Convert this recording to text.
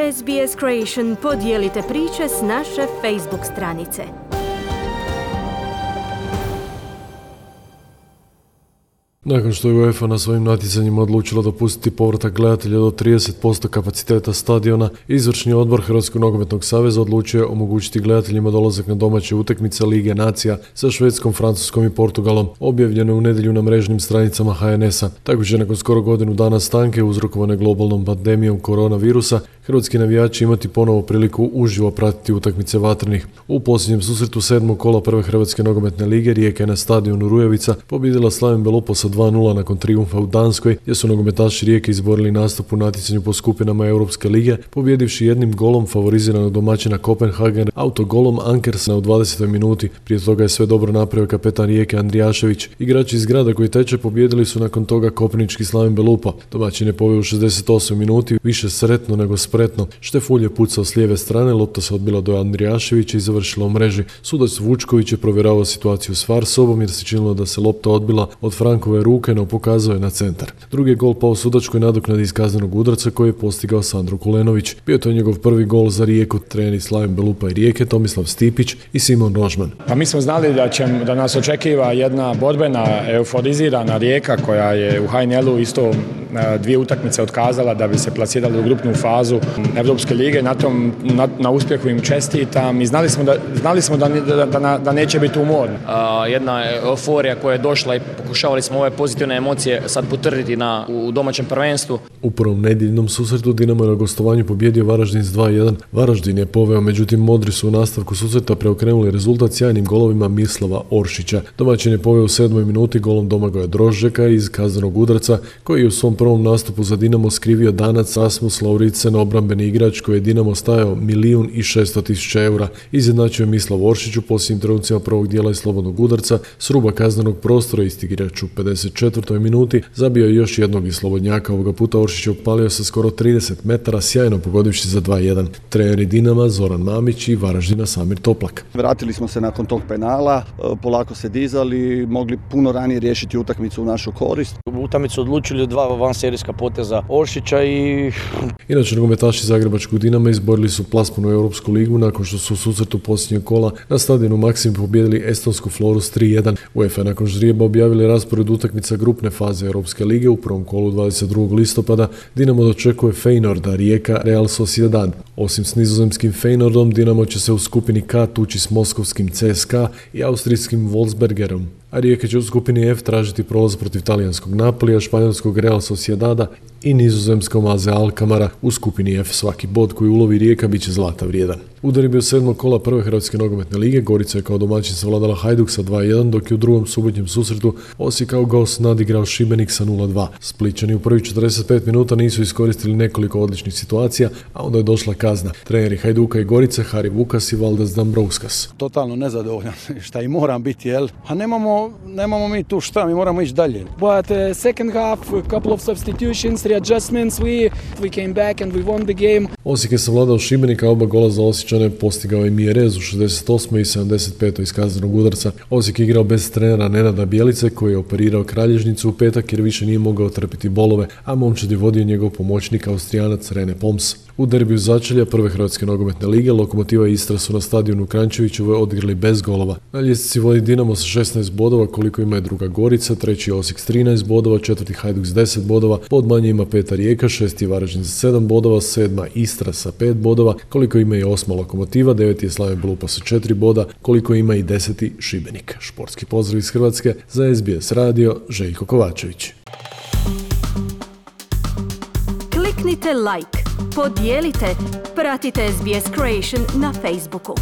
SBS Creation, podijelite priče s naše Facebook stranice. Nakon što je UEFA na svojim natjecanjima odlučila dopustiti povratak gledatelja do 30% kapaciteta stadiona, izvršni odbor Hrvatskog nogometnog saveza odlučio je omogućiti gledateljima dolazak na domaće utakmice Lige nacija sa Švedskom, Francuskom i Portugalom, objavljeno u nedjelju na mrežnim stranicama HNS-a. Tako će nakon skoro godinu dana stanke uzrokovane globalnom pandemijom koronavirusa, hrvatski navijači imati ponovo priliku uživo pratiti utakmice vatrenih. U posljednjem susretu 7. kola prve Hrvatske nogometne lige Rijeka je na stadionu Rujevica pobijedila Slaven Belupo sa 2:0 nakon trijumfa u Danskoj, gdje su nogometaši Rijeke izborili nastup u natjecanju po skupinama Europske lige, pobjedivši jednim golom favoriziranog domaćina Kopenhagen autogolom Ankersena u 20. minuti. Prije toga je sve dobro napravio kapetan Rijeke Andrijašević. Igrači iz grada koji teče pobijedili su nakon toga kopnički Slaven Belupo. Domaćin je poveo u 68. minuti, više sretno nego spretno. Štefulj je pucao s lijeve strane, lopta se odbila do Andrijaševića i završila u mreži. Sudac Vučković je provjeravao situaciju s VAR sobom jer se činilo da se lopta odbila od Frankove ruke, no pokazao je na centar. Drugi je gol pao sudačkoj nadoknadi iz kaznenog udarca koji je postigao Sandro Kulenović. Bio to je njegov prvi gol za Rijeku. Treneri Slaven Belupa i Rijeke Tomislav Stipić i Simon Rožman. Pa mi smo znali da nas očekiva jedna borbena, euforizirana Rijeka koja je u HNL-u isto dvije utakmice otkazala da bi se plasirali u grupnu fazu Europske lige. Na uspjehu im čestitam i znali smo da neće biti umorni. Jedna euforija koja je došla i pokušavali smo ove pozitivne emocije sad potvrditi u domaćem prvenstvu. U prvom nedjeljnom susretu Dinamo je na gostovanju pobjedio Varaždin s 2:1. Varaždin je poveo, međutim Modri su u nastavku susreta preokrenuli rezultat sjajnim golovima Mislava Oršića. Domaćin je poveo u 7. minuti golom Domagoja Drožđeka iz kaznenog udarca, koji je u svom prvom nastupu za Dinamo skrivio Danac Rasmus Lauritsen, obrambeni igrač koji je Dinamo stajao 1.600.000 eura. Izjednačio je Mislav Oršić u posljednjim trenucima prvog dijela iz slobodnog udarca s ruba kaznenog prostora. Isti igrač u 54. minuti zabio je još jednog iz slobodnjaka. Ovoga puta Oršić je opalio sa skoro 30 metara, sjajno pogodivši za 2:1. Treneri Dinama Zoran Mamić i Varaždina Samir Toplak. Vratili smo se nakon tog penala, polako se dizali, mogli puno ranije riješiti utakmicu u našu korist. Utakmicu odlučili 2 vanserijska poteza Oršića i... Inače, nogometaši Zagrebačkog Dinama izborili su plasman u Europsku ligu nakon što su u susretu posljednjeg kola na stadionu Maksim pobijedili estonsku Florus 3:1. UEFA nakon ždrijeba objavili raspored utakmica grupne faze Europske lige. U prvom kolu 22. listopada Dinamo dočekuje Feyenoorda, Rijeka Real Sociedad. Osim s nizozemskim Feyenoordom, Dinamo će se u skupini K tući s moskovskim CSKA i austrijskim Wolfsbergerom. A Rijeka će u skupini F tražiti prolaz protiv talijanskog Napolija, španjolskog Real Sociedada i nizozemskom AZ Alkamara. U skupini F svaki bod koji ulovi Rijeka bit će zlata vrijedan. U deribiju 7. kola prve Hrvatske nogometne lige Gorica je kao domaćin savladala Hajduk sa 2:1, dok je u drugom subotnjem susretu Osijek kao gost nadigrao Šibenik sa 0:2. Splićani u prvih 45 minuta nisu iskoristili nekoliko odličnih situacija, a onda je došla kazna. Treneri Hajduka i Gorice Hari Vukas i Valdas Dambrauskas. Totalno nezadovoljan, šta i moram biti, jel? A nemamo mi tu šta, mi moramo ići dalje. But second half, a couple of substitutions, readjustments, we came back and we won the game. Osijek je savladao Šibenika, oba gola za Osječane postigao je Mjerez u 68. i 75. iz kaznenog udarca. Osijek je igrao bez trenera Nenada Bjelice koji je operirao kralježnicu u petak jer više nije mogao trpiti bolove, a momčad je vodio njegov pomoćnik Austrijanac Rene Poms. U derbiju začelja prve Hrvatske nogometne lige Lokomotiva i Istra su na stadionu Kranjčevićevoj odigrali bez golova. Na ljestvici vodi Dinamo sa 16 bodova koliko ima je druga Gorica, treći Osijek s 13 bodova, četvrti Hajduk s 10 bodova, pod manje ima peta Rijeka, šesti Varaždin sa 7 bodova, sedma Istra sa 5 bodova, koliko ima i osma Lokomotiva, deveti je Slaven Belupa sa 4 boda, koliko ima i 10. Šibenik. Športski pozdrav iz Hrvatske za SBS radio, Željko Kovačević. Kliknite like, podijelite, pratite SBS Creation na Facebooku.